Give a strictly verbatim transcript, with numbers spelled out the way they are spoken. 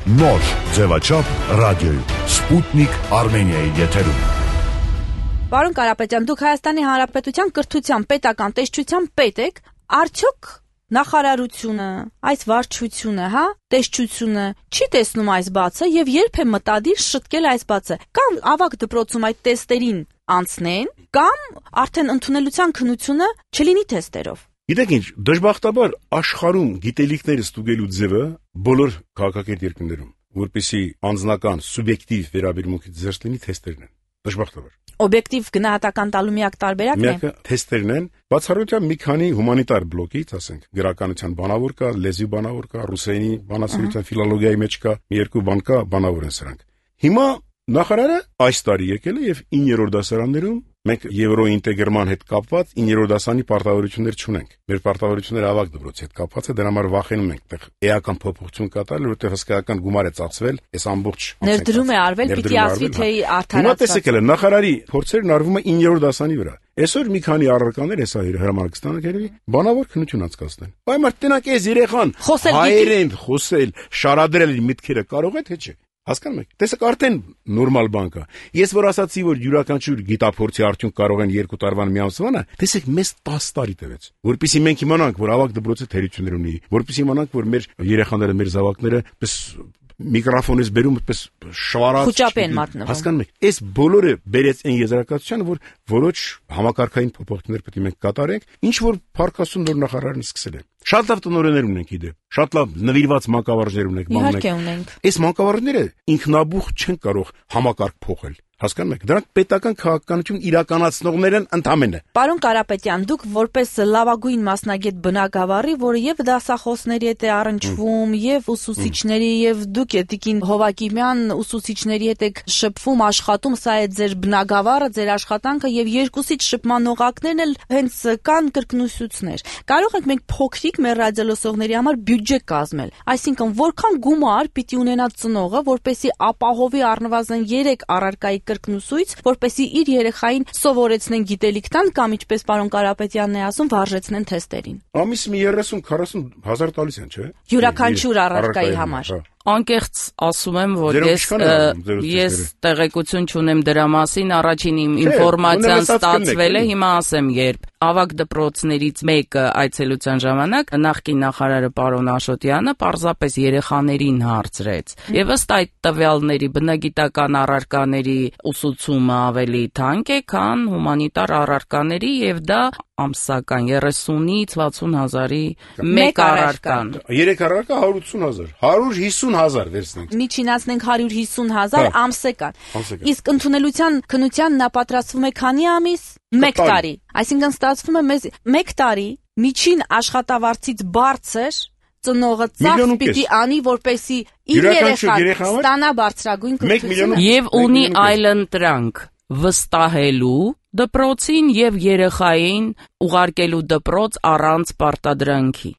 Նոր ձևաչափ ռադիոյում Սպուտնիկ Արմենիայի եթերում։ Պարոն Կարապետյան, դուք Հայաստանի Հանրապետության կրթության պետական տեսչության պետ եք, արդյոք նախարարությունը, այս վարչությունը, հա, տեսչությունը չի տեսնում այս բացը եւ երբ է մտադիր շտկել այս բացը, կամ ավագ դպրոցում այդ տեստերին անցնեն, կամ արդեն ընդունելության քննությունը չլինի տեստերով։ Գիտեք ինչ, դժբախտաբար աշխարհում գիտելիքները ստուգելու ձևը բոլոր քաղաքակիրթ երկրներում, որպեսզի անձնական սուբյեկտիվ վերաբերմունքից զերծ լինի թեստերն են։ Դժբախտաբար։ Օբյեկտիվ գնահատական տալու միակ տարբերակն է։ Միակը թեստերն են, բացառությամբ մի քանի հումանիտար բլոկից, ասենք, գրականության բանավոր կա, լեզվի բանավոր կա, ռուսերենի բանասիրության ֆիլոլոգիայի մեջ կա, մի երկու բան կա, բանավոր են սրանք։ Հիմա նախարարը այս տարի եկել է եւ իններորդ դասարաններում մենք եվրոինտեգրման հետ կապված իններորդ դասանի պարտավորություններ չունենք։ Մեր պարտավորությունները ավագ դպրոցի հետ կապված է, դրա համար վախենում ենք այդտեղ էական փոփոխություն կատարել, որովհետեւ հսկայական գումար է ծախսվել, այս ամբողջ ներդրում է արվել, պիտի ասվի թե արդարացված։ Հիմա տեսեք էլ նախարարի փորձերն արվում է իններորդ դասանի վրա։ Այսօր մի քանի առարկաներ հեսա հրամանքստանը գերվի բանավոր քննություն անցկացնել։ Բայ մարդ տնակ էս երեխան հայերեն խոսել, շարադրել միտքերը կարող է թե չէ։ Հասկանում եք, տեսեք արդեն նորմալ բան կա։ Ես որ ասացի, որ յուրաքանչյուր գիտափորձի արդյունք կարող են երկու տարվան մի ամսվանը, տեսեք մեզ տասը տարի տևեց։ Որպեսզի մենք իմանանք, որ ավագ դպրոցը թերություններ ունի, որպեսզի իմանանք, որ մեր երեխաները, մեր զավակները պես միկրոֆոնից բերում այդպես շվարած խոճապ են մատնվում։ Հասկանում եք, այս բոլորը բերեց այն եզրակացությանը, որ որոշ համակարգային փոփոխություններ պետք է մենք կատարենք, ինչ որ փառքասուն նոր նախարարն սկսել է։ Շատ լավ տնօրեններ ունենք իդե, շատ լավ նվիրված մանկավարժներ ունենք, բան ունենք։ Այս մանկավարժները ինքնաբուխ չեն կարող համակարգ փոխել։ Հասկանում եք, դրանք պետական քաղաքականություն իրականացնողներ են ընդամենը։ Պարոն Կարապետյան, դուք որպես լավագույն մասնագետ բնագավառի, որը եւ դասախոսների հետ է առնչվում, եւ ուսուցիչների, եւ դուք Տիկին Հովակիմյան ուսուցիչների հետ եք շփվում, աշխատում, սա է ձեր բնագավառը, ձեր աշխատանքը, եւ երկուսից շփման օղակներն էլ հենց կան կրկնուսուցներ։ Կարող ենք մենք փոքրիկ մեր ռադիոլսողների համար բյուջե կազմել, այսինքն որքան գումար պիտի ունենա ծնողը, որպեսզի ապահովի առնվազն երեք առարկայի կրկնուսույց, որպեսզի իր երեխային սովորեցնեն գիտելիք տան կամ ինչպես պարոն Կարապետյանն է ասում, վարժեցնեն թեստերին։ Ամիս մի երեսուն քառասուն հազար տալիս են, չէ՞։ Յուրաքանչյուր առարկայի համար։ Անկեղծ ասում եմ, որ ես ես տեղեկություն չունեմ դրա մասին, առաջին իմ ինֆորմացիան ստացվել է, հիմա ասեմ երբ ավագ դպրոցներից մեկը այցելության ժամանակ նախկին նախարարը պարոն Աշոտյանը պարզապես երեխաներին հարցրեց եւ ըստ այդ տվյալների բնագիտական առարկաների ուսուցումը ավելի թանկ է, քան հումանիտար առարկաների եւ դա ամսական երեսունից վաթսուն հազարի մեկ առարկան։ Երեք առարկա հարյուր ութսուն հազար, հարյուր հիսուն հազար վերցնենք։ Միջինացնենք հարյուր հիսուն հազար ամսական։ Իսկ ընդունելության քննության նա պատրաստվում է քանի ամիս։ Մեկ տարի։ Այսինքն ստացվում է մեզ մեկ տարի միջին աշխատավարձից բարձր ծնողը ծախս պիտի անի, որպեսի իր երեխան ստանա բարձրագույն կրթություն։ Եվ ունի այլընտրանք վստահելու դպրոցին եւ երեխային ուղարկելու դպրոց առանց պարտադրանքի։